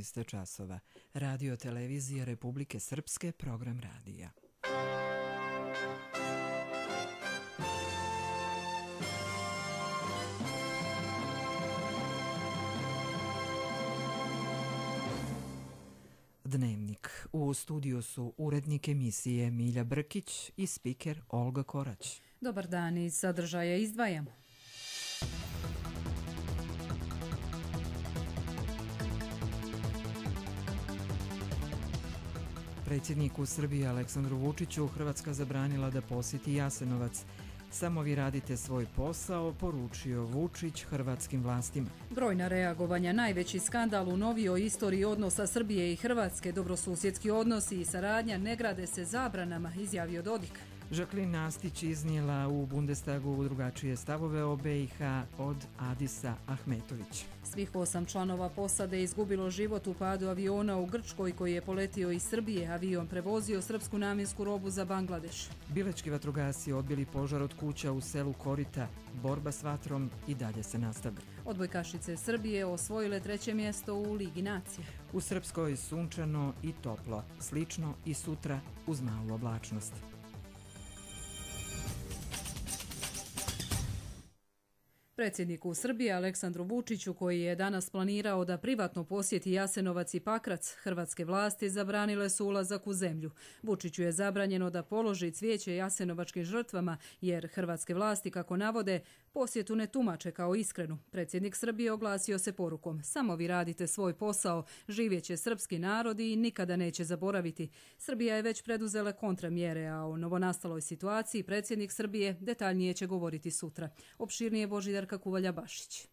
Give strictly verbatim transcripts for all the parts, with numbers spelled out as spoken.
šest časova. Radio televizija Republike Srpske, program radija. Dnevnik. U studiju su urednik emisije Milja Brkić i spiker Olga Korać. Dobar dan, iz sadržaja izdvajamo. Predsjedniku Srbije Aleksandru Vučiću Hrvatska zabranila da posjeti Jasenovac. Samo vi radite svoj posao, poručio Vučić hrvatskim vlastima. Brojna reagovanja, najveći skandal u novijoj istoriji odnosa Srbije i Hrvatske, dobrosusjedski odnosi i saradnja ne grade se zabranama, izjavio Dodik. Žaklin Nastić iznijela u Bundestagu drugačije stavove o B i H od Adisa Ahmetović. Svih osam članova posade izgubilo život u padu aviona u Grčkoj koji je poletio iz Srbije. Avion prevozio srpsku namjensku robu za Bangladeš. Bilećki vatrogasci odbili požar od kuća u selu Korita. Borba s vatrom i dalje se nastavlja. Odbojkašice Srbije osvojile treće mjesto u Ligi nacija. U Srpskoj sunčano i toplo, slično i sutra uz malu oblačnost. Predsjedniku Srbije Aleksandru Vučiću, koji je danas planirao da privatno posjeti Jasenovac i Pakrac, hrvatske vlasti zabranile su ulazak u zemlju. Vučiću je zabranjeno da položi cvijeće jasenovačkim žrtvama, jer hrvatske vlasti, kako navode, posjetu ne tumače kao iskrenu. Predsjednik Srbije oglasio se porukom: samo vi radite svoj posao, živjet će srpski narod i nikada neće zaboraviti. Srbija je već preduzela kontramjere, a o novonastaloj situaciji predsjednik Srbije detaljnije će govoriti sutra. Opširnije Božidar Kuvalja-Bašić.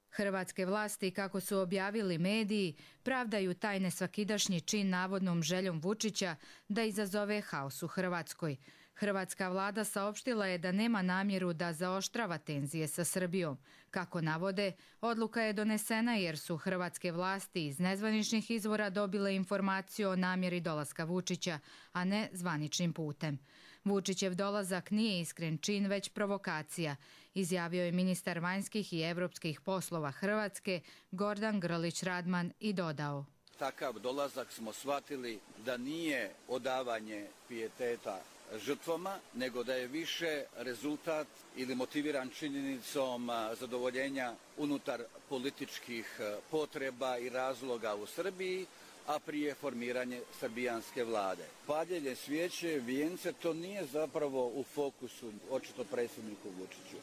Hrvatske vlasti, kako su objavili mediji, pravdaju taj nesvakidašnji čin navodnom željom Vučića da izazove haos u Hrvatskoj. Hrvatska vlada saopštila je da nema namjeru da zaoštrava tenzije sa Srbijom. Kako navode, odluka je donesena jer su hrvatske vlasti iz nezvaničnih izvora dobile informaciju o namjeri dolaska Vučića, a ne zvaničnim putem. Vučićev dolazak nije iskren čin, već provokacija, izjavio je ministar vanjskih i evropskih poslova Hrvatske Gordan Grlić Radman i dodao: takav dolazak smo shvatili da nije odavanje pijeteta žrtvama, nego da je više rezultat ili motiviran činjenicom zadovoljenja unutar političkih potreba i razloga u Srbiji, a prije formiranje srbijanske vlade. Paljenje svijeće, vijence, to nije zapravo u fokusu očito predsjedniku Vučiću.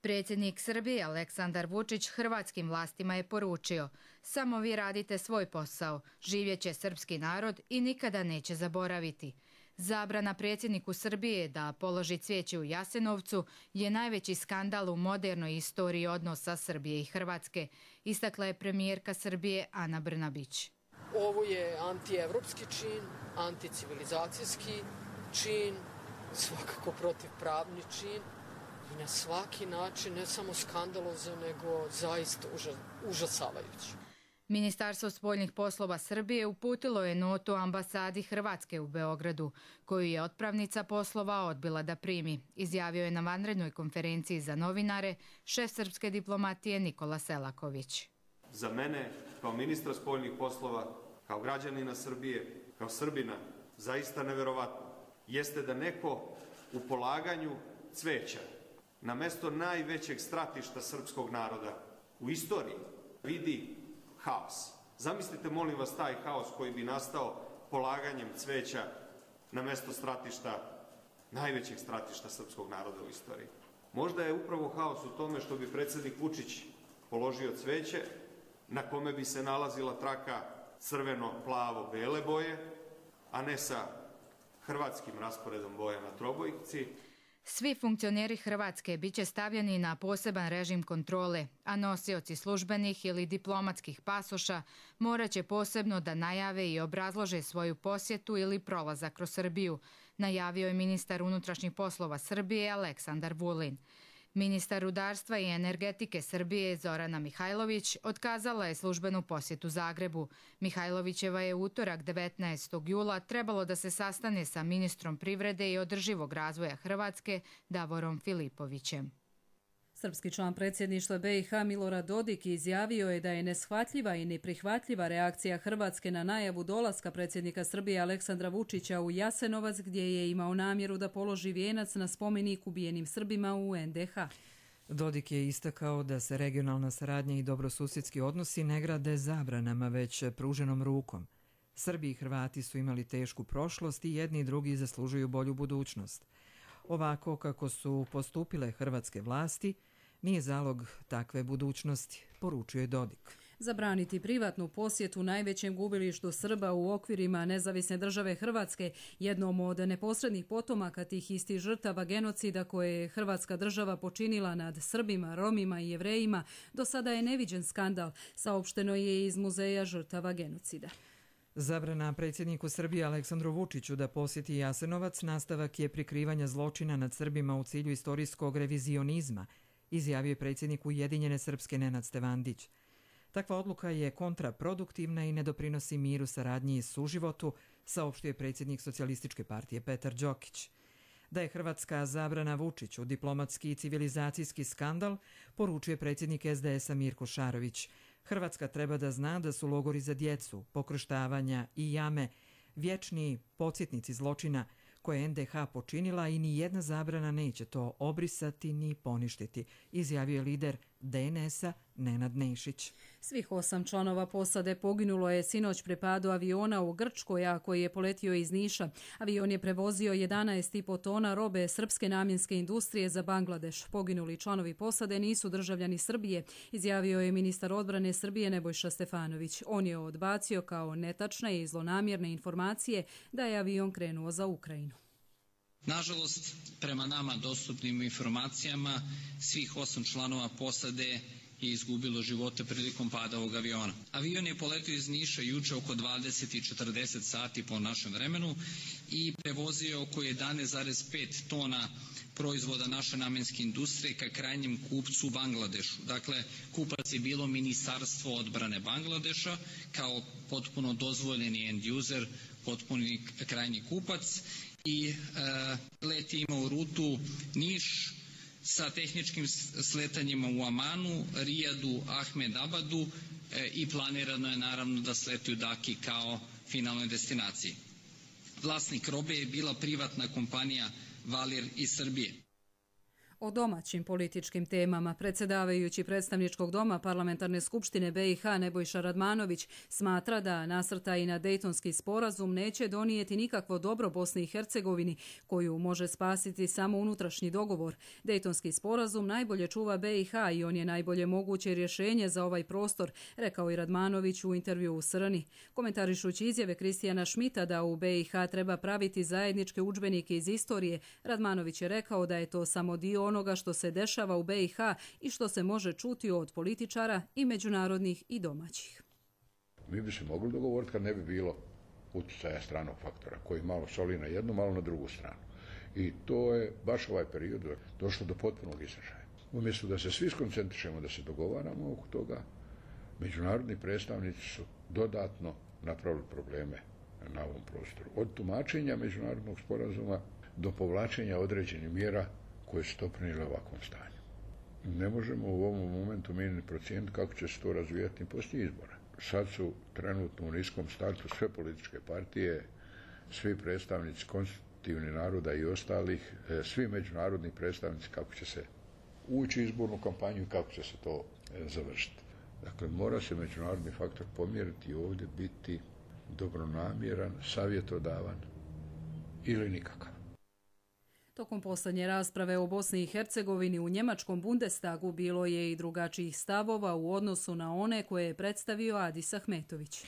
Predsjednik Srbije Aleksandar Vučić hrvatskim vlastima je poručio: samo vi radite svoj posao, živjet će srpski narod i nikada neće zaboraviti. Zabrana predsjedniku Srbije da položi cvijeće u Jasenovcu je najveći skandal u modernoj istoriji odnosa Srbije i Hrvatske, istakla je premijerka Srbije Ana Brnabić. Ovo je antievropski čin, anticivilizacijski čin, svakako protivpravni čin i na svaki način ne samo skandalozan, nego zaista užasavajući. Ministarstvo spoljnih poslova Srbije uputilo je notu ambasadi Hrvatske u Beogradu, koju je otpravnica poslova odbila da primi, izjavio je na vanrednoj konferenciji za novinare šef srpske diplomatije Nikola Selaković. Za mene, kao ministra spoljnih poslova, kao građanina Srbije, kao Srbina, zaista neverovatno jeste da neko u polaganju cveća na mesto najvećeg stratišta srpskog naroda u istoriji vidi haos. Zamislite, molim vas, taj haos koji bi nastao polaganjem cveća na mesto stratišta, najvećeg stratišta srpskog naroda u istoriji. Možda je upravo haos u tome što bi predsjednik Vučić položio cveće na kome bi se nalazila traka crveno-plavo-bele boje, a ne sa hrvatskim rasporedom boja na trobojci. Svi funkcioneri Hrvatske biće stavljeni na poseban režim kontrole, a nosioci službenih ili diplomatskih pasoša morat će posebno da najave i obrazlože svoju posjetu ili prolazak kroz Srbiju, najavio je ministar unutrašnjih poslova Srbije Aleksandar Vulin. Ministar rudarstva i energetike Srbije Zorana Mihajlović otkazala je službenu posjetu Zagrebu. Mihajlovićeva je utorak devetnaestog jula trebalo da se sastane sa ministrom privrede i održivog razvoja Hrvatske Davorom Filipovićem. Srpski član predsjedništva B i H Milorad Dodik izjavio je da je neshvatljiva i neprihvatljiva reakcija Hrvatske na najavu dolaska predsjednika Srbije Aleksandra Vučića u Jasenovac, gdje je imao namjeru da položi vijenac na spomenik ubijenim Srbima u en de ha. Dodik je istakao da se regionalna saradnja i dobrosusjedski odnosi ne grade zabranama, već pruženom rukom. Srbi i Hrvati su imali tešku prošlost i jedni i drugi zaslužuju bolju budućnost. Ovako kako su postupile hrvatske vlasti, nije zalog takve budućnosti, poručuje Dodik. Zabraniti privatnu posjetu najvećem gubilištu Srba u okvirima nezavisne države Hrvatske, jednom od neposrednih potomaka tih istih žrtava genocida koje je Hrvatska država počinila nad Srbima, Romima i Jevrejima, do sada je neviđen skandal, saopšteno je iz Muzeja žrtava genocida. Zabrana predsjedniku Srbije Aleksandru Vučiću da posjeti Jasenovac nastavak je prikrivanja zločina nad Srbima u cilju istorijskog revizionizma, izjavio je predsjednik Ujedinjene Srpske Nenad Stevandić. Takva odluka je kontraproduktivna i ne doprinosi miru, saradnji i suživotu, saopštio je predsjednik Socijalističke partije Petar Đokić. Da je hrvatska zabrana Vučiću diplomatski i civilizacijski skandal, poručuje predsjednik es de es a Mirko Šarović. Hrvatska treba da zna da su logori za djecu, pokrštavanja i jame vječni podsjetnici zločina koje je en de ha počinila i ni jedna zabrana neće to obrisati ni poništiti, izjavio je lider de en es a Nenad Nešić. Svih osam članova posade poginulo je sinoć pri padu aviona u Grčkoj, a koji je poletio iz Niša. Avion je prevozio jedanaest i po tona robe srpske namjenske industrije za Bangladeš. Poginuli članovi posade nisu državljani Srbije, izjavio je ministar odbrane Srbije Nebojša Stefanović. On je odbacio kao netačne i zlonamjerne informacije da je avion krenuo za Ukrajinu. Nažalost, prema nama dostupnim informacijama, svih osam članova posade je izgubilo živote prilikom pada ovog aviona. Avion je poletio iz Niša juče oko dvadeset i četrdeset sati po našem vremenu i prevozio oko jedanaest zarez pet tona proizvoda naše namenske industrije ka krajnjem kupcu u Bangladešu. Dakle, kupac je bilo Ministarstvo odbrane Bangladeša kao potpuno dozvoljeni end user, potpuni krajnji kupac i e, let je imao rutu Niš sa tehničkim sletanjima u Amanu, Rijadu, Ahmedabadu e, i planirano je naravno da sleti u Daki kao finalnoj destinaciji. Vlasnik robe je bila privatna kompanija Valir iz Srbije. O domaćim političkim temama predsjedavajući predstavničkog doma Parlamentarne skupštine be i ha Nebojša Radmanović smatra da nasrtaj na Dejtonski sporazum neće donijeti nikakvo dobro Bosni i Hercegovini, koju može spasiti samo unutrašnji dogovor. Dejtonski sporazum najbolje čuva be i ha i on je najbolje moguće rješenje za ovaj prostor, rekao i Radmanović u intervju u Srni. Komentarišući izjave Kristijana Šmita da u be i ha treba praviti zajedničke udžbenike iz istorije, Radmanović je rekao da je to samo dio onoga što se dešava u be i ha i što se može čuti od političara i međunarodnih i domaćih. Mi bi se mogli dogovoriti kad ne bi bilo utjecaja stranog faktora koji malo soli na jednu, malo na drugu stranu. I to je baš ovaj period došlo do potpunog izražaja. Umjesto da se svi skoncentrišemo da se dogovaramo oko toga, međunarodni predstavnici su dodatno napravili probleme na ovom prostoru. Od tumačenja međunarodnog sporazuma do povlačenja određenih mjera koje su doprinijele ovakvom stanju. Ne možemo u ovom momentu mi ni procijeniti kako će se to razvijati poslije izbora. Sad su trenutno u niskom startu sve političke partije, svi predstavnici konstitutivnih naroda i ostalih, svi međunarodni predstavnici kako će se ući u izbornu kampanju i kako će se to završiti. Dakle, mora se međunarodni faktor pomjeriti i ovdje biti dobronamjeran, savjetodavan ili nikakav. Tokom posljednje rasprave o Bosni i Hercegovini u njemačkom Bundestagu bilo je i drugačijih stavova u odnosu na one koje je predstavio Adis Ahmetović.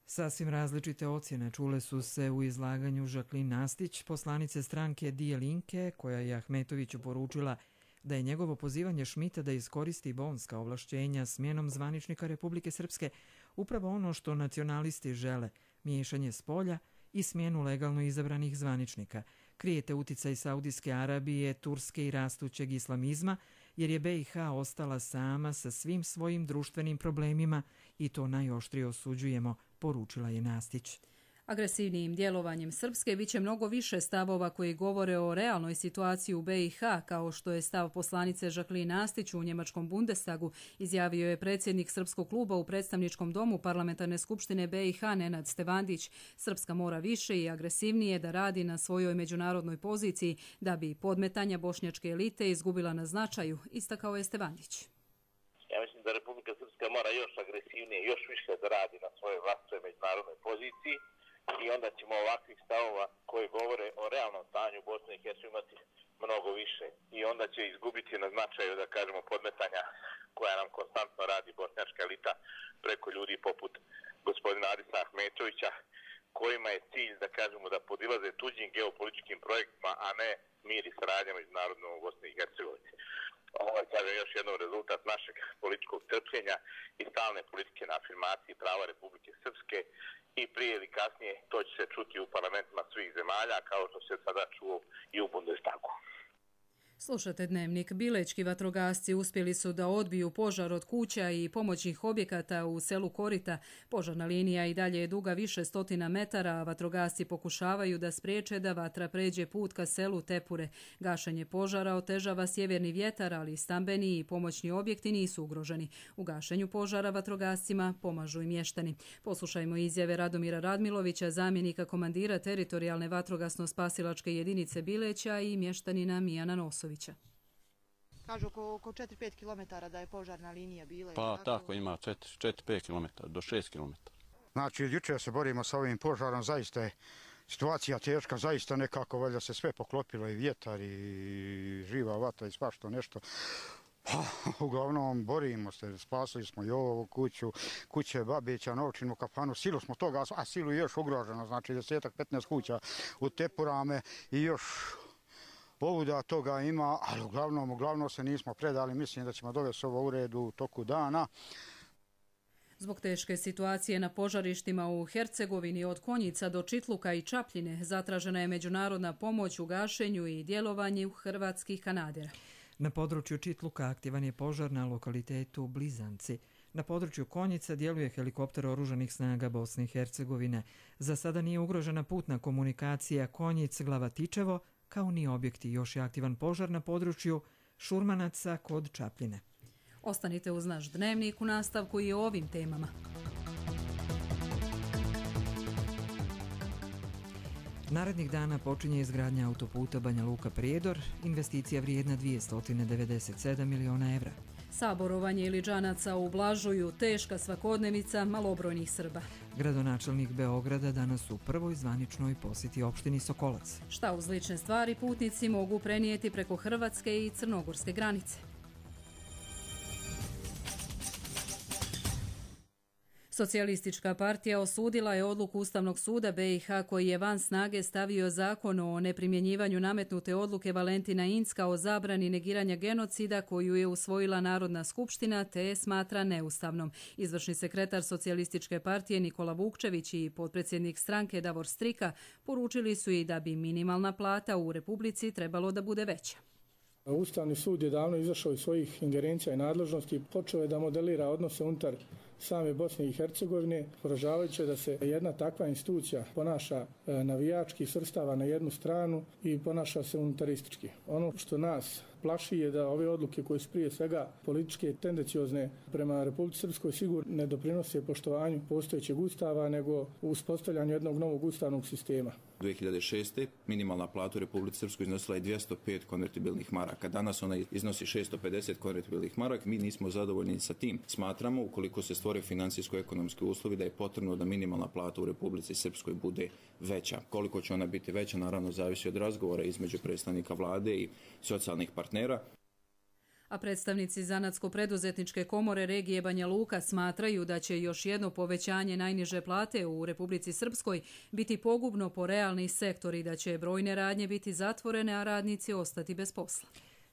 Sasvim različite ocjene čule su se u izlaganju Žaklin Nastić, poslanice stranke Die Linke, koja je Ahmetoviću poručila da je njegovo pozivanje Šmita da iskoristi bonska ovlašćenja smjenom zvaničnika Republike Srpske upravo ono što nacionalisti žele, miješanje s polja i smjenu legalno izabranih zvaničnika. Krijete uticaj Saudijske Arabije, Turske i rastućeg islamizma, jer je be i ha ostala sama sa svim svojim društvenim problemima i to najoštrije osuđujemo, poručila je Nastić. Agresivnijim djelovanjem Srpske biće mnogo više stavova koji govore o realnoj situaciji u B i H, kao što je stav poslanice Žaklin Astić u njemačkom Bundestagu, izjavio je predsjednik Srpskog kluba u predstavničkom domu Parlamentarne skupštine B i H Nenad Stevandić. Srpska mora više i agresivnije da radi na svojoj međunarodnoj poziciji da bi podmetanja bošnjačke elite izgubila na značaju, istakao je Stevandić. Ja mislim da Republika Srpska mora još agresivnije, još više da radi na svojoj vlastitoj međunarodnoj poziciji i onda ćemo ovakvih stavova koji govore o realnom stanju Bosne i Hercegovine imati mnogo više i onda će izgubiti na značaju, da kažemo, podmetanja koja nam konstantno radi bošnjačka elita preko ljudi poput gospodina Adisa Ahmetovića, kojima je cilj, da kažemo, da podilaze tuđim geopolitičkim projektima, a ne mir i saradnja međunarodnom u Bosni i Hercegovini. Ovo je, kažem, još jednom rezultat našeg političkog trpljenja i stalne politike na afirmaciji prava Republike Srpske i prije ili kasnije to će se čuti u parlamentima svih zemalja, kao što se sada čuo i u Bundestagu. Slušate Dnevnik. Bilečki vatrogasci uspjeli su da odbiju požar od kuća i pomoćnih objekata u selu Korita. Požarna linija i dalje je duga više stotina metara, a vatrogasci pokušavaju da spriječe da vatra pređe put ka selu Tepure. Gašenje požara otežava sjeverni vjetar, ali stambeni i pomoćni objekti nisu ugroženi. U gašenju požara vatrogascima pomažu i mještani. Poslušajmo izjave Radomira Radmilovića, zamjenika komandira teritorijalne vatrogasno-spasilačke jedinice Bileća i mještanina Mijana Nosovića. Kažu oko, oko četiri do pet kilometara da je požarna linija bila. Pa tako, tako ima četiri do pet kilometara, do šest kilometara. Znači, jučer se borimo sa ovim požarom, zaista je situacija teška, zaista nekako valjda se sve poklopilo, i vjetar, i živa vatra, i svašta nešto. Pa, uglavnom, borimo se, spasili smo i ovu kuću, kuće Babića, Novčinu, kafanu, silu smo toga, a silu je još ugroženo, znači desetak, petnaest kuća u Tepurame i još povuda toga ima, ali uglavnom, uglavnom se nismo predali, mislim da ćemo dovesti ovo u redu u toku dana. Zbog teške situacije na požarištima u Hercegovini od Konjica do Čitluka i Čapljine zatražena je međunarodna pomoć u gašenju i djelovanju hrvatskih kanadera. Na području Čitluka aktivan je požar na lokalitetu Blizanci. Na području Konjica djeluje helikopter oružanih snaga Bosne i Hercegovine. Za sada nije ugrožena putna komunikacija Konjic-Glavatičevo, kao ni objekti. Još je aktivan požar na području Šurmanaca kod Čapljine. Ostanite uz naš Dnevnik u nastavku i o ovim temama. Narednih dana počinje izgradnja autoputa Banja Luka-Prijedor, investicija vrijedna dvjesto devedeset sedam miliona evra. Saborovanje Iliđanaca ublažuju teška svakodnevica malobrojnih Srba. Gradonačelnik Beograda danas u prvoj zvaničnoj posjeti opštini Sokolac. Šta uz lične stvari putnici mogu prenijeti preko hrvatske i crnogorske granice? Socijalistička partija osudila je odluku Ustavnog suda B i H koji je van snage stavio zakon o neprimjenjivanju nametnute odluke Valentina Incka o zabrani negiranja genocida koju je usvojila Narodna skupština te je smatra neustavnom. Izvršni sekretar Socijalističke partije Nikola Vukčević i potpredsjednik stranke Davor Strika poručili su i da bi minimalna plata u Republici trebalo da bude veća. Ustavni sud je davno izašao iz svojih ingerencija i nadležnosti i počeo je da modelira odnose unutar same Bosne i Hercegovine, poražavajuće da se jedna takva institucija ponaša navijački, svrstava na jednu stranu i ponaša se unitaristički. Ono što nas plaši je da ove odluke koje su prije svega političke tendenciozne prema Republici Srpskoj sigurno ne doprinose poštovanju postojećeg ustava, nego uspostavljanju jednog novog ustavnog sistema. dvije hiljade šeste. minimalna plata u Republici Srpskoj iznosila je dvjesto pet konvertibilnih maraka. Danas ona iznosi šesto pedeset konvertibilnih maraka. Mi nismo zadovoljni sa tim. Smatramo, ukoliko se stvore financijsko-ekonomski uslovi, da je potrebno da minimalna plata u Republici Srpskoj bude veća. Koliko će ona biti veća, naravno, zavisi od razgovora između predstavnika vlade i socijalnih partnera. A predstavnici Zanatsko-preduzetničke komore regije Banja Luka smatraju da će još jedno povećanje najniže plate u Republici Srpskoj biti pogubno po realni sektor i da će brojne radnje biti zatvorene, a radnici ostati bez posla.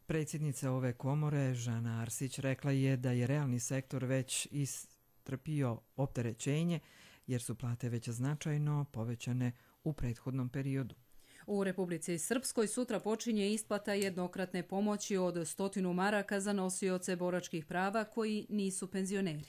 Predsjednica ove komore, Žana Arsić, rekla je da je realni sektor već istrpio opterećenje jer su plate već značajno povećane u prethodnom periodu. U Republici Srpskoj sutra počinje isplata jednokratne pomoći od stotinu maraka za nosioce boračkih prava koji nisu penzioneri.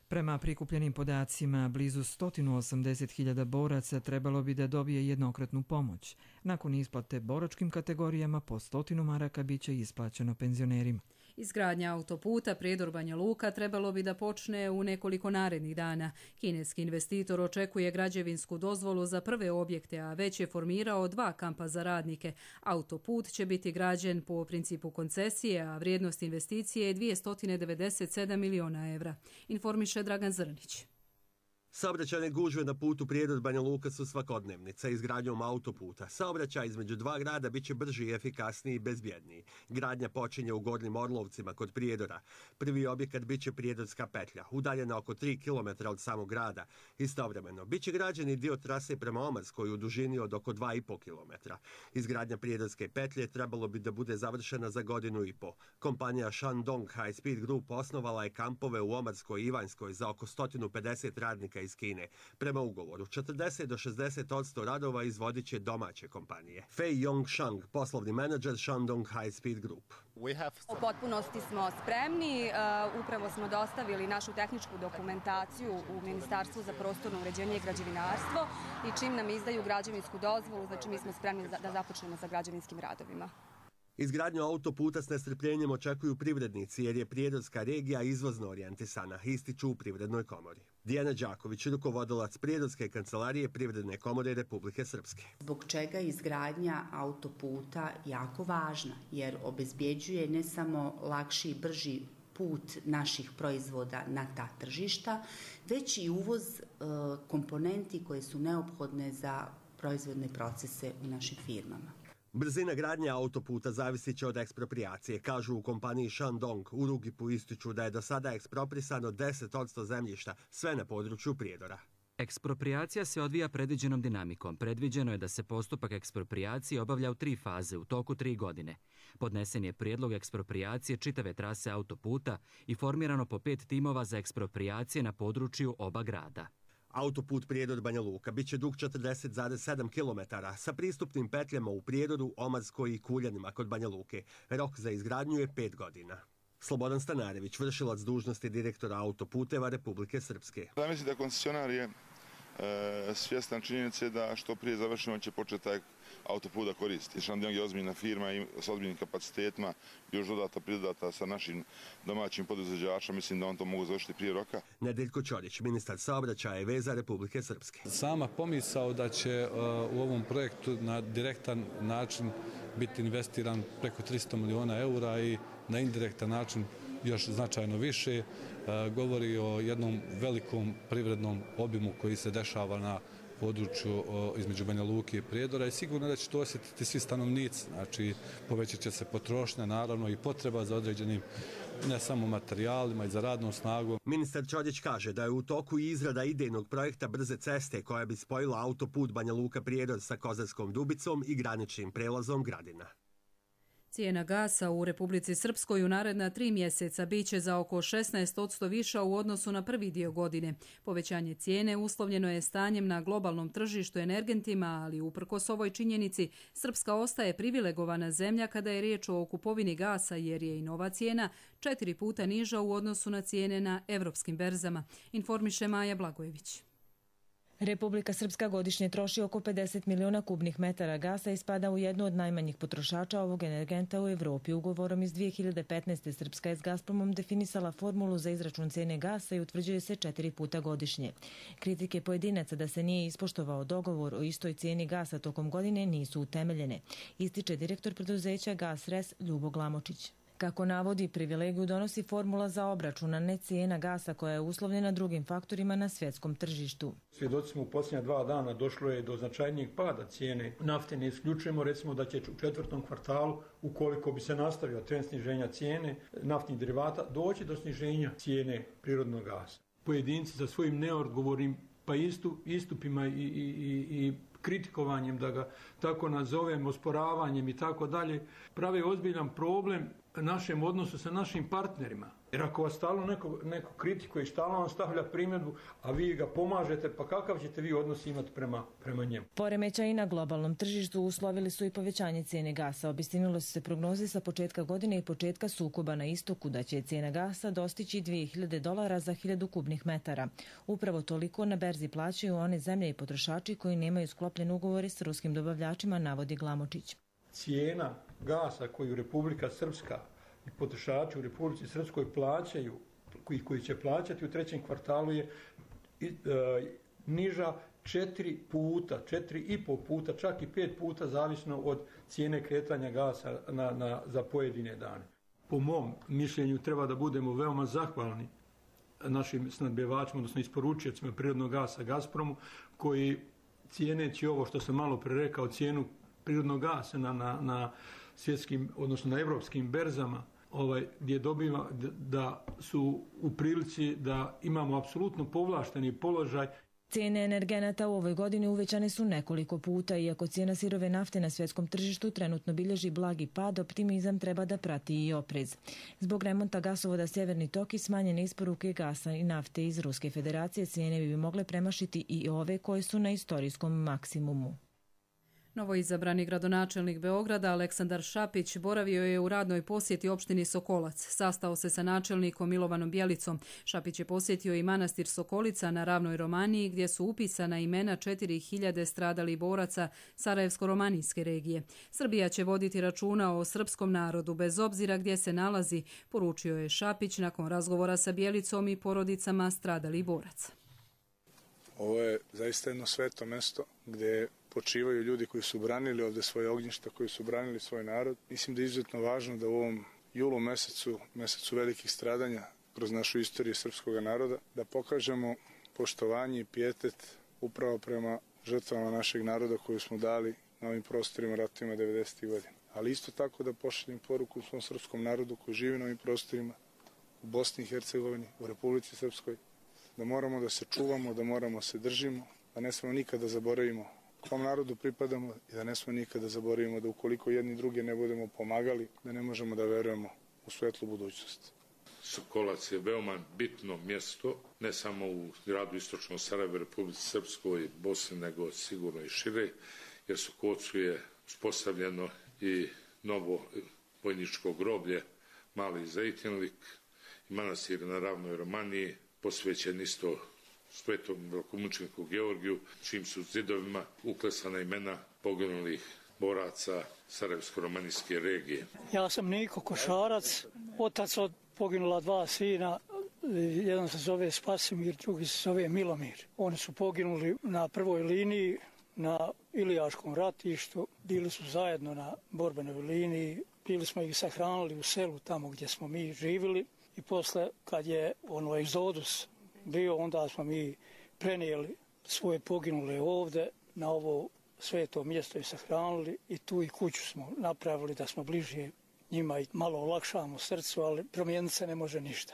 Prema prikupljenim podacima, blizu sto osamdeset hiljada boraca trebalo bi da dobije jednokratnu pomoć. Nakon isplate boračkim kategorijama po stotinu maraka biće isplaćeno penzionerima. Izgradnja autoputa Prijedor-Banja Luka trebalo bi da počne u nekoliko narednih dana. Kineski investitor očekuje građevinsku dozvolu za prve objekte, a već je formirao dva kampa za radnike. Autoput će biti građen po principu koncesije, a vrijednost investicije je dvjesto devedeset sedam miliona evra, informiše Dragan Zrnić. Saobraćajne gužve na putu Prijedor-Banja Luka su svakodnevnica. Izgradnjom autoputa saobraćaj između dva grada biće brži i efikasniji i bezbjedniji. Gradnja počinje u Gornjim Orlovcima kod Prijedora. Prvi objekat biće Prijedorska petlja, udaljena oko tri kilometra od samog grada. Istovremeno, biće građeni dio trase prema Omarskoj u dužini od oko dva i po kilometra. Izgradnja Prijedorske petlje trebalo bi da bude završena za godinu i po. Kompanija Shandong High Speed Group osnovala je kampove u Omarskoj i Ivanjskoj za oko sto pedeset radnika iz Kine. Prema ugovoru, četrdeset do šezdeset posto radova izvodit će domaće kompanije. Fei Yongshang, poslovni menadžer Shandong High Speed Group. U potpunosti smo spremni. Upravo smo dostavili našu tehničku dokumentaciju u Ministarstvu za prostorno uređenje i građevinarstvo i čim nam izdaju građevinsku dozvolu, znači mi smo spremni da započnemo sa građevinskim radovima. Izgradnju autoputa s nestrpljenjem očekuju privrednici jer je Prijedorska regija izvozno orijentisana, ističu u Privrednoj komori. Dijana Đaković, rukovodilac Prijedorske kancelarije Privredne komore Republike Srpske. Zbog čega je izgradnja autoputa jako važna, jer obezbjeđuje ne samo lakši i brži put naših proizvoda na ta tržišta, već i uvoz e, komponenti koje su neophodne za proizvodne procese u našim firmama. Brzina gradnje autoputa zavisit će od ekspropriacije, kažu u kompaniji Shandong. U Rugipu ističu da je do sada eksproprisano deset posto zemljišta, sve na području Prijedora. Ekspropriacija se odvija predviđenom dinamikom. Predviđeno je da se postupak ekspropriacije obavlja u tri faze u toku tri godine. Podnesen je prijedlog ekspropriacije čitave trase autoputa i formirano po pet timova za ekspropriacije na području oba grada. Autoput Prijedor-Banja Luka biće dug četrdeset zarez sedam kilometara sa pristupnim petljama u Prijedoru, Omarskoj i Kuljanima kod Banja Luke. Rok za izgradnju je pet godina. Slobodan Stanarević, vršilac dužnosti direktora autoputeva Republike Srpske. Ja mislim da koncesionar je e, svjestan činjenice da što prije završeno će početi taj autoput da koristi. Shandong je ozbiljna firma i s ozbiljnim kapacitetima, još dodata pridodata sa našim domaćim poduzeđačima, mislim da on to mogu završiti prije roka. Nedeljko Ćorić, ministar saobraćaja i veza Republike Srpske. Sama pomisao da će uh, u ovom projektu na direktan način biti investiran preko tristo miliona eura i na indirektan način još značajno više, uh, govori o jednom velikom privrednom obimu koji se dešava na području između Banja Luke i Prijedora i sigurno da će to osjetiti svi stanovnici. Znači, povećat će se potrošnja, naravno i potreba za određenim ne samo materijalima i za radnom snagom. Ministar Ćorić kaže da je u toku izrada idejnog projekta brze ceste koja bi spojila autoput Banja Luka-Prijedor sa Kozarskom Dubicom i graničnim prelazom Gradina. Cijena gasa u Republici Srpskoj u naredna tri mjeseca biće za oko šesnaest posto viša u odnosu na prvi dio godine. Povećanje cijene uslovljeno je stanjem na globalnom tržištu energentima, ali uprkos ovoj činjenici Srpska ostaje privilegovana zemlja kada je riječ o kupovini gasa jer je i nova cijena četiri puta niža u odnosu na cijene na evropskim berzama, informiše Maja Blagojević. Republika Srpska godišnje troši oko pedeset miliona kubnih metara gasa i spada u jednu od najmanjih potrošača ovog energenta u Evropi. Ugovorom iz dvije hiljade petnaeste. Srpska je s Gazpromom definisala formulu za izračun cijene gasa i utvrđuje se četiri puta godišnje. Kritike pojedinaca da se nije ispoštovao dogovor o istoj cijeni gasa tokom godine nisu utemeljene, ističe direktor preduzeća Gasres Ljubo Glamočić. Kako navodi, privilegiju donosi formula za obračunane cijena gasa koja je uslovljena drugim faktorima na svjetskom tržištu. Svjedoci smo u posljednja dva dana došlo je do značajnijeg pada cijene nafte. Ne isključujemo recimo da će u četvrtom kvartalu, ukoliko bi se nastavio trend sniženja cijene naftnih derivata, doći do sniženja cijene prirodnog gasa. Pojedinci za svojim neodgovornim pa istu, istupima i, i, i, i kritikovanjem, da ga tako nazovem, osporavanjem i tako dalje, prave ozbiljan problem našem odnosu sa našim partnerima. Jer ako vas stalno neko, neko kritikuje i stalno vam stavlja primjedbu, a vi ga pomažete, pa kakav ćete vi odnos imati prema, prema njemu? Poremećaji na globalnom tržištu uslovili su i povećanje cijene gasa. Obistinilo su se prognoze sa početka godine i početka sukoba na istoku da će cijena gasa dostići dvije hiljade dolara za hiljadu kubnih metara. Upravo toliko na berzi plaćaju one zemlje i potrošači koji nemaju sklopljen ugovore s ruskim dobavljačima, navodi Glamočić. Cijena gasa koju Republika Srpska i potrošači u Republici Srpskoj plaćaju, koji, koji će plaćati u trećem kvartalu je e, niža četiri puta, četiri i pol puta, čak i pet puta zavisno od cijene kretanja gasa na, na, za pojedine dane. Po mom mišljenju treba da budemo veoma zahvalni našim snadbevačima, odnosno isporučiocima prirodnog gasa Gazpromu, koji cijeneći ovo što sam malo pre rekao, cijenu prirodnog gasa na, na, na svjetskim, odnosno na evropskim berzama, ovaj, gdje dobiva da su u prilici da imamo apsolutno povlašteni položaj. Cijene energenata u ovoj godini uvećane su nekoliko puta, iako cijena sirove nafte na svjetskom tržištu trenutno bilježi blagi pad, optimizam treba da prati i oprez. Zbog remonta gasovoda Sjeverni tok i smanjene isporuke gasa i nafte iz Ruske federacije, cijene bi mogle premašiti i ove koje su na istorijskom maksimumu. Novoizabrani gradonačelnik Beograda Aleksandar Šapić boravio je u radnoj posjeti opštini Sokolac. Sastao se sa načelnikom Milovanom Bjelicom. Šapić je posjetio i manastir Sokolica na Ravnoj Romaniji, gdje su upisana imena četiri hiljade stradalih boraca Sarajevsko-romanijske regije. Srbija će voditi računa o srpskom narodu bez obzira gdje se nalazi, poručio je Šapić nakon razgovora sa Bjelicom i porodicama stradalih boraca. Ovo je zaista jedno sveto mesto gdje počivaju ljudi koji su branili ovdje svoje ognjišta, koji su branili svoj narod. Mislim da je izuzetno važno da u ovom julu mesecu, mesecu velikih stradanja kroz našu istoriju srpskog naroda, da pokažemo poštovanje i pijetet upravo prema žrtvama našeg naroda koju smo dali na ovim prostorima ratovima devedesetih godina. Ali isto tako da pošaljem poruku svom srpskom narodu koji živi na ovim prostorima u Bosni i Hercegovini, u Republici Srpskoj, da moramo da se čuvamo, da moramo se držimo, da ne smemo nikada zaboravimo kom narodu pripadamo i da ne smemo nikada zaboravimo da ukoliko jedni druge ne budemo pomagali, da ne možemo da verujemo u svetlu budućnost. Sokolac je veoma bitno mjesto, ne samo u gradu Istočnog Sarajeva, Republici Srpskoj i Bosni, nego sigurno i šire, jer Sokolcu je uspostavljeno i novo vojničko groblje, Mali Zejtinlik i manastir na Ravnoj Romaniji, posvećen isto svetom velikomučeniku Georgiju, čim su zidovima uklesana imena poginulih boraca Sarajevsko-romanijske regije. Ja sam Niko Košarac, otac od poginula dva sina, jedan se zove Spasimir, drugi se zove Milomir. Oni su poginuli na prvoj liniji, na Ilijaškom ratištu, bili su zajedno na borbenoj liniji, bili smo ih sahranili u selu tamo gdje smo mi živjeli i posle kad je ono egzodus bio, onda smo mi prenijeli svoje poginule ovdje na ovo sveto mjesto i sahranili i tu i kuću smo napravili da smo bliže njima i malo olakšamo srcu, ali promijeniti se ne može ništa.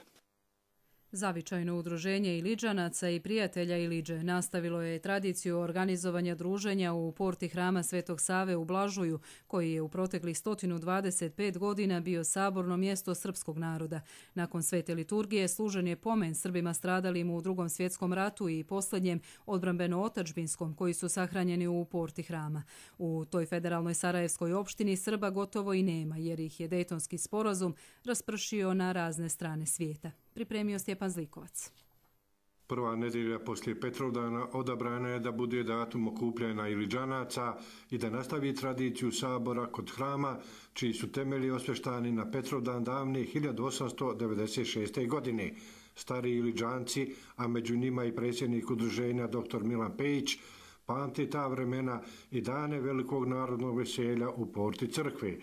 Zavičajno udruženje Iliđanaca i prijatelja Iliđe nastavilo je tradiciju organizovanja druženja u porti hrama Svetog Save u Blažuju, koji je u proteklih sto dvadeset pet godina bio saborno mjesto srpskog naroda. Nakon svete liturgije služen je pomen Srbima stradalim u Drugom svjetskom ratu i posljednjem odbrambeno-otačbinskom, koji su sahranjeni u porti hrama. U toj federalnoj sarajevskoj opštini Srba gotovo i nema, jer ih je Dejtonski sporazum raspršio na razne strane svijeta. Pripremio Stjepan Zlikovac. Prva nedjelja poslije Petrovdana odabrana je da bude datum okupljanja Iliđanaca i da nastavi tradiciju sabora kod hrama, čiji su temelji osveštani na Petrovdan davne hiljadu osamsto devedeset šeste. godine. Stari Iliđanci, a među njima i predsjednik udruženja doktor Milan Pejić, pamti ta vremena i dane velikog narodnog veselja u porti crkve.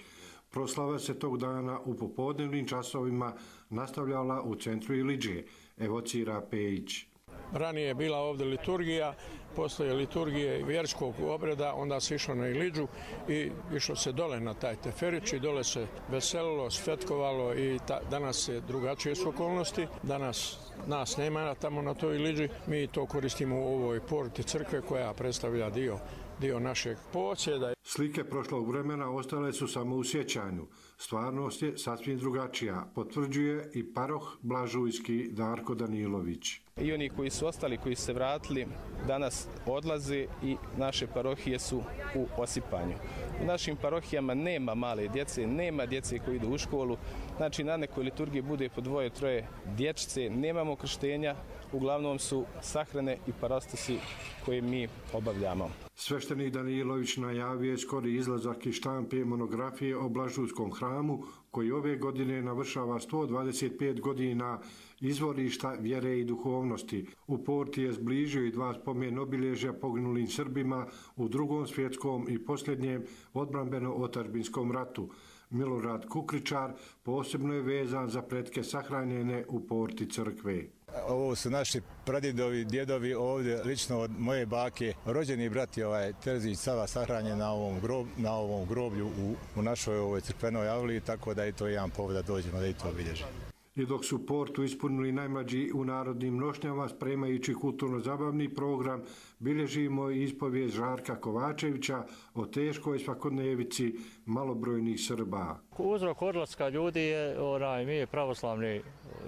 Proslava se tog dana u popodnevnim časovima nastavljala u centru Iliđe, evocira Pejić. Ranije je bila ovdje liturgija, poslije liturgije vjerskog obreda, onda se išlo na Iliđu i išlo se dole na taj Teferić i dole se veselilo, svetkovalo i ta, danas je drugačije su okolnosti. Danas nas nema tamo na toj Iliđi, mi to koristimo u ovoj porti crkve koja predstavlja dio dio našeg posjeda. Slike prošlog vremena ostale su samo u sjećanju. Stvarnost je sasvim drugačija, potvrđuje i paroh blažujski Darko Danilović. I oni koji su ostali, koji su se vratili, danas odlaze i naše parohije su u osipanju. U našim parohijama nema male djece, nema djece koji idu u školu, znači na nekoj liturgiji bude po dvoje, troje dječice, nemamo krštenja, uglavnom su sahrane i parastasi koje mi obavljamo. Sveštenik Danilović najavio je skori izlazak iz štampe monografije o Blažujskom hramu, koji ove godine navršava sto dvadeset pet godina izvorišta vjere i duhovnosti. U Porti je zbližio i dva spomen obilježja poginulim Srbima u Drugom svjetskom i posljednjem odbrambeno-otadžbinskom ratu. Milorad Kukričar posebno je vezan za pretke sahranjene u Porti crkve. Ovo su naši pradjedovi, djedovi ovdje, lično od moje bake, rođeni brat je ovaj Terzić Sava sahranjen na ovom, grob, na ovom groblju u, u našoj ovoj crkvenoj avliji, tako da je to jedan povod da dođemo da i to obilježimo. I dok su Portu ispunili najmlađi u narodnim nošnjama, spremajući kulturno-zabavni program, bilježimo ispovijest Žarka Kovačevića o teškoj svakodnevici malobrojnih Srba. Uzrok odlaska ljudi je, onaj, mi pravoslavni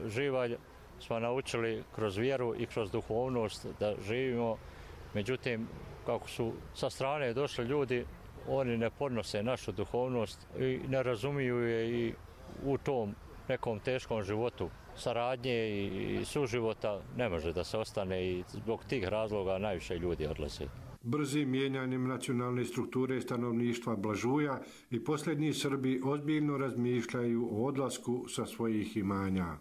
živalj smo naučili kroz vjeru i kroz duhovnost da živimo. Međutim, kako su sa strane došli ljudi, oni ne podnose našu duhovnost i ne razumiju je i u tom nekom teškom životu saradnje i suživota ne može da se ostane i zbog tih razloga najviše ljudi odlaze. Brzim mijenjanjem nacionalne strukture stanovništva Blažuja i posljednji Srbi ozbiljno razmišljaju o odlasku sa svojih imanja.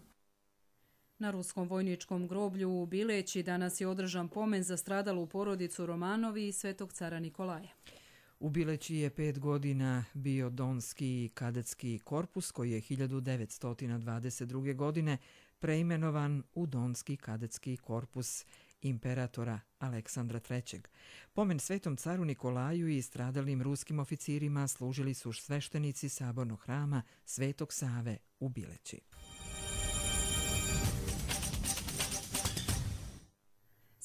Na ruskom vojničkom groblju u Bileći danas je održan pomen za stradalu porodicu Romanovi i Svetog cara Nikolaja. U Bileći je pet godina bio Donski kadetski korpus koji je hiljadu devetsto dvadeset druge. godine preimenovan u Donski kadetski korpus imperatora Aleksandra trećeg. Pomen Svetom caru Nikolaju i stradalim ruskim oficirima služili su sveštenici sabornog hrama Svetog Save u Bileći.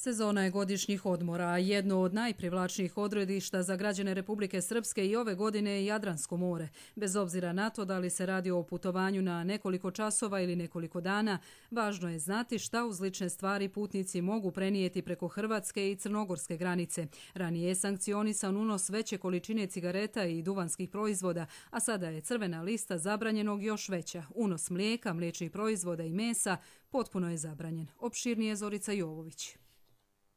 Sezona je godišnjih odmora, a jedno od najprivlačnijih odredišta za građane Republike Srpske i ove godine je Jadransko more. Bez obzira na to da li se radi o putovanju na nekoliko časova ili nekoliko dana, važno je znati šta uz lične stvari putnici mogu prenijeti preko hrvatske i crnogorske granice. Ranije je sankcionisan unos veće količine cigareta i duvanskih proizvoda, a sada je crvena lista zabranjenog još veća. Unos mlijeka, mliječnih proizvoda i mesa potpuno je zabranjen. Opširnije Zorica Jovović.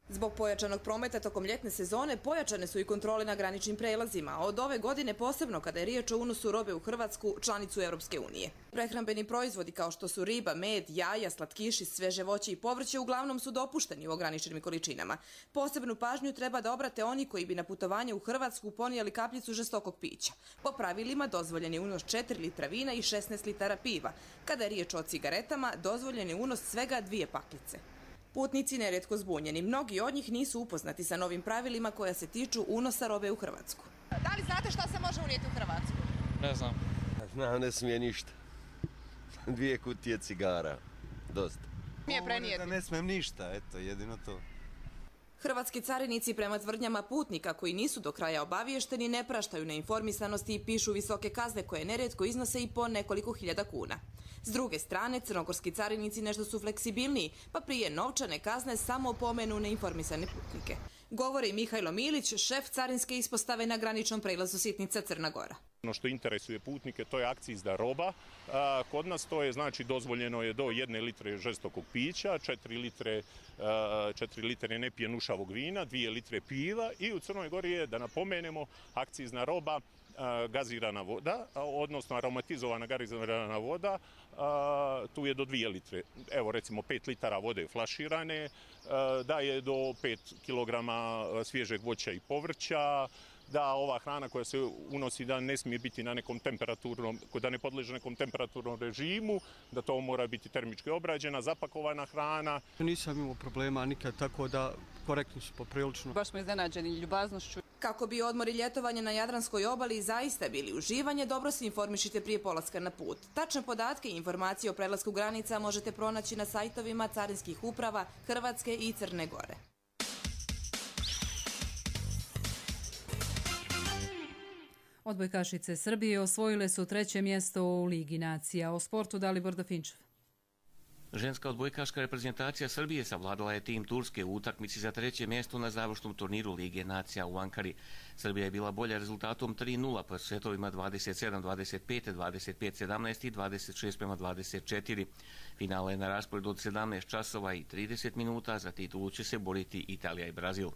Zbog pojačanog prometa tokom ljetne sezone pojačane su i kontrole na graničnim prelazima, od ove godine posebno kada je riječ o unosu robe u Hrvatsku, članicu Europske unije. Prehrambeni proizvodi kao što su riba, med, jaja, slatkiši, sveže voće i povrće uglavnom su dopušteni u ograničenim količinama. Posebnu pažnju treba da obrate oni koji bi na putovanje u Hrvatsku ponijeli kapljicu žestokog pića. Po pravilima dozvoljen je unos četiri litra vina i šesnaest litara piva. Kada je riječ o cigaretama, dozvoljen je unos svega dvije paklice. Putnici nerijetko zbunjeni. Mnogi od njih nisu upoznati sa novim pravilima koja se tiču unosa robe u Hrvatsku. Da li znate šta se može unijeti u Hrvatsku? Ne znam. Znam, ne smije ništa. Dvije kutije cigara. Dosta. Smije prenijeti? Ne smijem ništa, eto, jedino to. Hrvatski carinici prema tvrdnjama putnika koji nisu do kraja obaviješteni ne praštaju neinformisanosti i pišu visoke kazne koje nerijetko iznose i po nekoliko hiljada kuna. S druge strane, crnogorski carinici nešto su fleksibilniji, pa prije novčane kazne samo opomenu neinformisane putnike. Govori Mihajlo Milić, šef carinske ispostave na graničnom prelazu Sitnica Crna Gora. Ono što interesuje putnike, to je akcizna roba. Kod nas to je, znači, dozvoljeno je do jedne litre žestokog pića, četiri litre, četiri litre nepijenušavog vina, dvije litre piva i u Crnoj Gori je, da napomenemo, akcizna roba gazirana voda, odnosno aromatizovana gazirana voda, tu je do dvije litre. Evo recimo pet litara vode flaširane, da je do pet kilograma svježeg voća i povrća, da ova hrana koja se unosi da ne smije biti na nekom temperaturnom, da ne podleže nekom temperaturnom režimu, da to mora biti termički obrađena, zapakovana hrana. Nisam imao problema nikad, tako da korektni su poprilično. Baš smo iznenađeni ljubaznošću. Kako bi odmor i ljetovanje na Jadranskoj obali zaista bili uživanje, dobro se informišite prije polaska na put. Tačne podatke i informacije o prelasku granica možete pronaći na sajtovima carinskih uprava Hrvatske i Crne Gore. Odbojkašice Srbije osvojile su treće mjesto u Ligi nacija. O sportu Dalibor Dafinčev. Ženska odbojkaška reprezentacija Srbije savladala je tim Turske u utakmici za treće mjesto na završnom turniru Lige nacija u Ankari. Srbija je bila bolja rezultatom tri nula po setovima dvadeset sedam dvadeset pet, dvadeset pet sedamnaest i dvadeset šest prema dvadeset četiri. Finale je na rasporedu od sedamnaest časova i trideset minuta, za titulu će se boriti Italija i Brazil.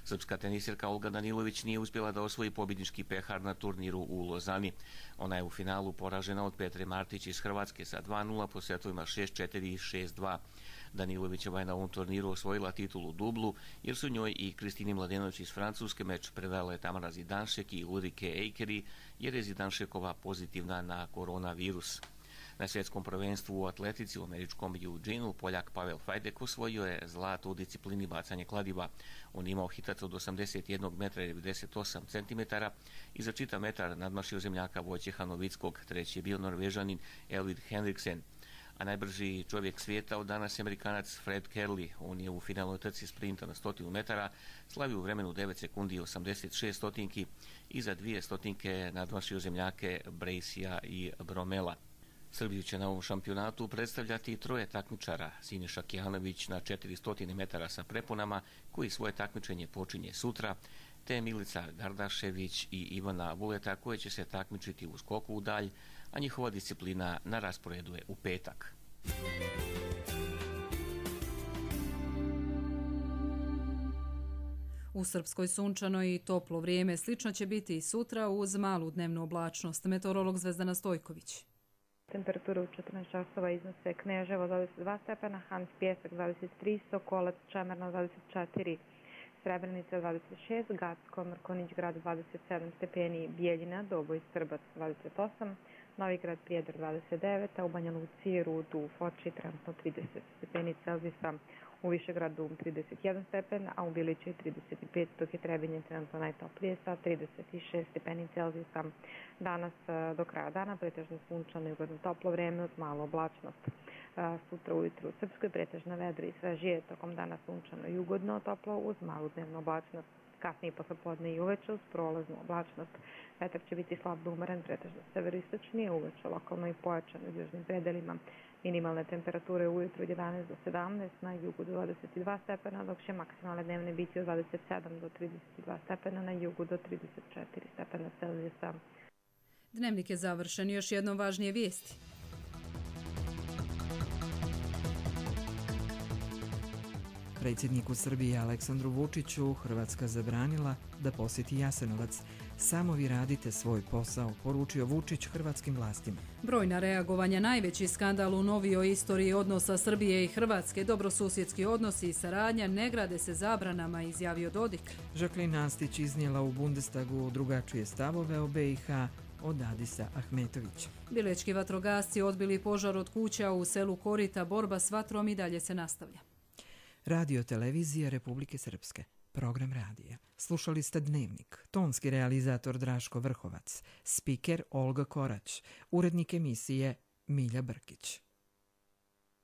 Srpska tenisirka Olga Danilović nije uspjela da osvoji pobjednički pehar na turniru u Lozani. Ona je u finalu poražena od Petre Martić iz Hrvatske sa dva nula po setovima šest četiri i šest dva. Danilovićeva je na ovom turniru osvojila titulu dublu, jer su njoj i Kristini Mladenović iz Francuske meč predale Tamara Zidanšek i Ulrike Eikeri, jer je Zidanšekova pozitivna na koronavirus. Na svjetskom prvenstvu u atletici u američkom Eugeneu Poljak Pavel Fajdek osvojio je zlato u disciplini bacanje kladiva. On imao hitac od osamdeset jedan metra i devedeset osam centimetara i za čitav metar nadmašio zemljaka Vojtjeha Novickog. Treći je bio Norvežanin Elvid Henriksen. A najbrži čovjek svijeta od danas je Amerikanac Fred Kerley. On je u finalnoj trci sprinta na stotinu metara slavio u vremenu devet sekundi i osamdeset šest stotinki i za dvije stotinke nadmašio zemljake Bracea i Bromela. Srbiju će na ovom šampionatu predstavljati troje takmičara: Siniša Kijanović na četiristo metara sa preponama, koji svoje takmičenje počinje sutra, te Milica Gardašević i Ivana Vuleta, koje će se takmičiti u skoku u dalj, a njihova disciplina na rasporedu je u petak. U Srpskoj sunčano i toplo vrijeme. Slično će biti i sutra uz malu dnevnu oblačnost. Meteorolog Zvezdana Stojković. Temperatura u četrnaest časova iznose Kneževo dvadeset dva stepena, Hans Pjesak dvadeset tri, Sokolac, Čemerno dvadeset četiri, Srebrenica dvadeset šest, Gacko, Mrkonić grad dvadeset sedam stepeni, Bijeljina, Doboj, Srbac dvadeset osam, Novi grad Prijedor dvadeset devet, a u Banja Luci, Rudu, u Foči trenutno trideset stepeni Celzijusa, u Višegradu trideset jedan stepen, a u Bilići trideset pet, dok je Trebinje trenutno najtoplije sa trideset šest stepeni Celzijusa. Danas do kraja dana pretežno sunčano i ugodno toplo vreme uz malu oblačnost. Sutra ujutru u Srpskoj pretežna vedra i svežije, tokom dana sunčano i ugodno toplo uz malu dnevnu oblačnost. Kasnije poslepodne i uveče uz prolaznu oblačnost. Vetar će biti slab do umeren, pretežno severoistočnije, uveče lokalno i pojačano u južnim predelima. Minimalne temperature ujutru od jedanaest do sedamnaest, na jugu do dvadeset dva stepena, dok će maksimalne dnevne biti od dvadeset sedam do trideset dva stepena, na jugu do trideset četiri stepena Celzijusa. Dnevnik je završen. Još jednom važnije vijesti. Predsjedniku Srbije Aleksandru Vučiću Hrvatska zabranila da posjeti Jasenovac. Samo vi radite svoj posao, poručio Vučić hrvatskim vlastima. Brojna reagovanja, najveći skandal u novijoj istoriji odnosa Srbije i Hrvatske, dobrosusjedski odnosi i saradnja ne grade se zabranama, izjavio Dodik. Žaklin Nastić iznijela u Bundestagu drugačije stavove o B i H od Adisa Ahmetovića. Bilečki vatrogasci odbili požar od kuća u selu Korita. Borba s vatrom i dalje se nastavlja. Radio televizija Republike Srpske. Program radija. Slušali ste Dnevnik. Tonski realizator Draško Vrhovac. Spiker Olga Korać. Urednik emisije Milja Brkić.